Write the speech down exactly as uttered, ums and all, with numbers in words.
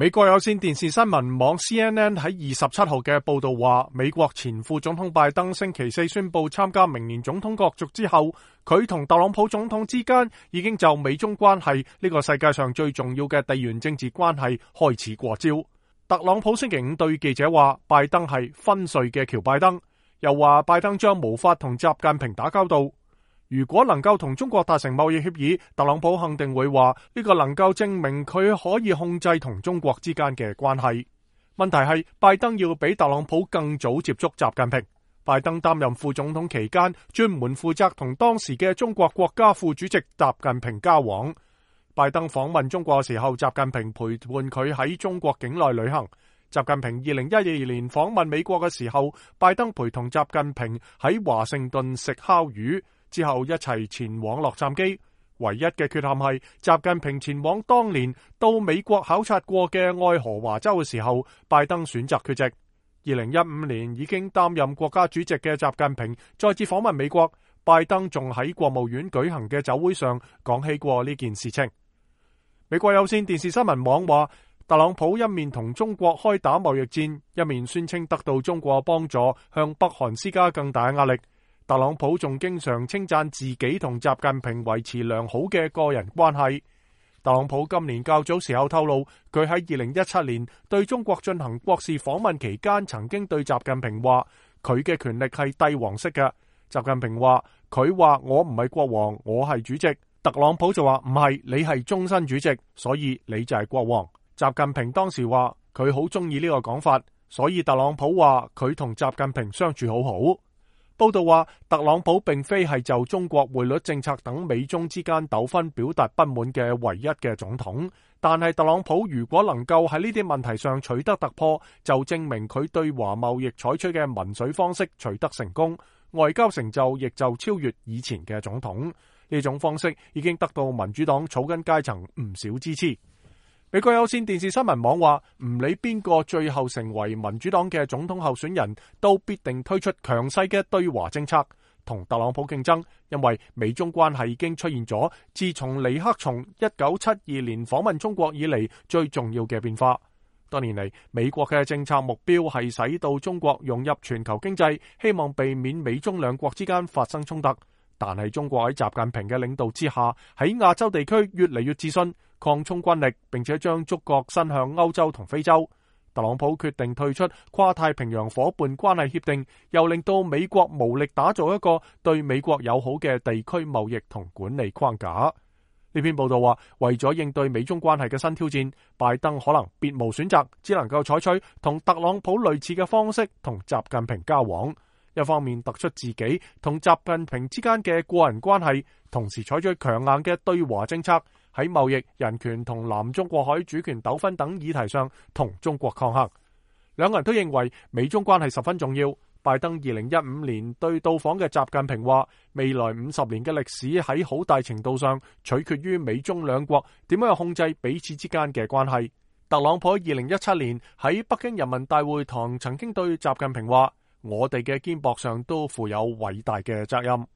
美國有線電視新聞網 C N N 喺二十七號嘅報道話，美國前副總統拜登星期四宣布參加明年總統角逐之後，佢同特朗普總統之間已經就美中關係呢個世界上最重要嘅地緣政治關係開始過招。特朗普星期五對記者話，拜登係昏睡嘅喬拜登，又話拜登將無法同習近平打交道。如果能夠同中國達成貿易協議，特朗普肯定會話呢個能夠證明佢可以控制同中國之間嘅關係。問題係拜登要比特朗普更早接觸習近平。拜登擔任副總統期間，專門負責同當時嘅中國國家副主席習近平交往。拜登訪問中國嘅時候，習近平陪伴佢喺中國境內旅行。習近平二零一二年訪問美國嘅時候，拜登陪同習近平喺華盛頓食烤魚。之後一齊前往洛杉磯，唯一嘅缺陷係習近平前往當年到美國考察過嘅愛荷華州嘅時候，拜登選擇缺席。二零一五年已經擔任國家主席嘅習近平再次訪問美國，拜登仲喺國務院舉行嘅酒會上講起過呢件事情。美國有線電視新聞網話，特朗普一面同中國開打貿易戰，一面宣稱得到中國幫助，向北韓施加更大壓力。特朗普仲經常稱讚自己同習近平維持良好嘅個人關係。特朗普今年較早時候透露，佢喺二零一七年對中國進行國事訪問期間，曾經對習近平話佢嘅權力係帝王式嘅。習近平話佢話我唔係國王，我係主席。特朗普就話唔係，你係終身主席，所以你就係國王。習近平當時話佢好中意呢個講法，所以特朗普話佢同習近平相處好好。報道話，特朗普並非係就中國匯率政策等美中之間糾紛表達不滿嘅唯一嘅總統，但係特朗普如果能夠喺呢啲問題上取得突破，就證明佢對華貿易採取嘅民粹方式取得成功，外交成就亦就超越以前嘅總統。呢種方式已經得到民主黨草根階層唔少支持。美國有線電視新聞網話，唔理邊個最後成為民主黨嘅總統候選人，都必定推出強勢嘅對華政策，同特朗普競爭，因為美中關係已經出現咗自從尼克松一九七二年訪問中國以嚟最重要嘅變化。多年嚟，美國嘅政策目標係使到中國融入全球經濟，希望避免美中兩國之間發生衝突。但係中國喺習近平嘅領導之下，喺亞洲地區越嚟越自信，擴充軍力，並且將觸角伸向歐洲同非洲。特朗普決定退出跨太平洋夥伴關係協定，又令到美國無力打造一個對美國友好嘅地區貿易同管理框架。呢篇報道話，為咗應對美中關係嘅新挑戰，拜登可能別無選擇，只能夠採取同特朗普類似嘅方式同習近平交往。一方面突出自己同習近平之間嘅個人關係，同時採取強硬嘅對華政策，喺貿易、人權同南中國海主權糾紛等議題上同中國抗衡。兩個人都認為美中關係十分重要。拜登二零一五年對到訪嘅習近平話，未來五十年嘅歷史喺好大程度上取決於美中兩國點樣控制彼此之間嘅關係。特朗普二零一七年喺北京人民大會堂曾經對習近平話，我哋嘅肩膊上都負有偉大嘅責任。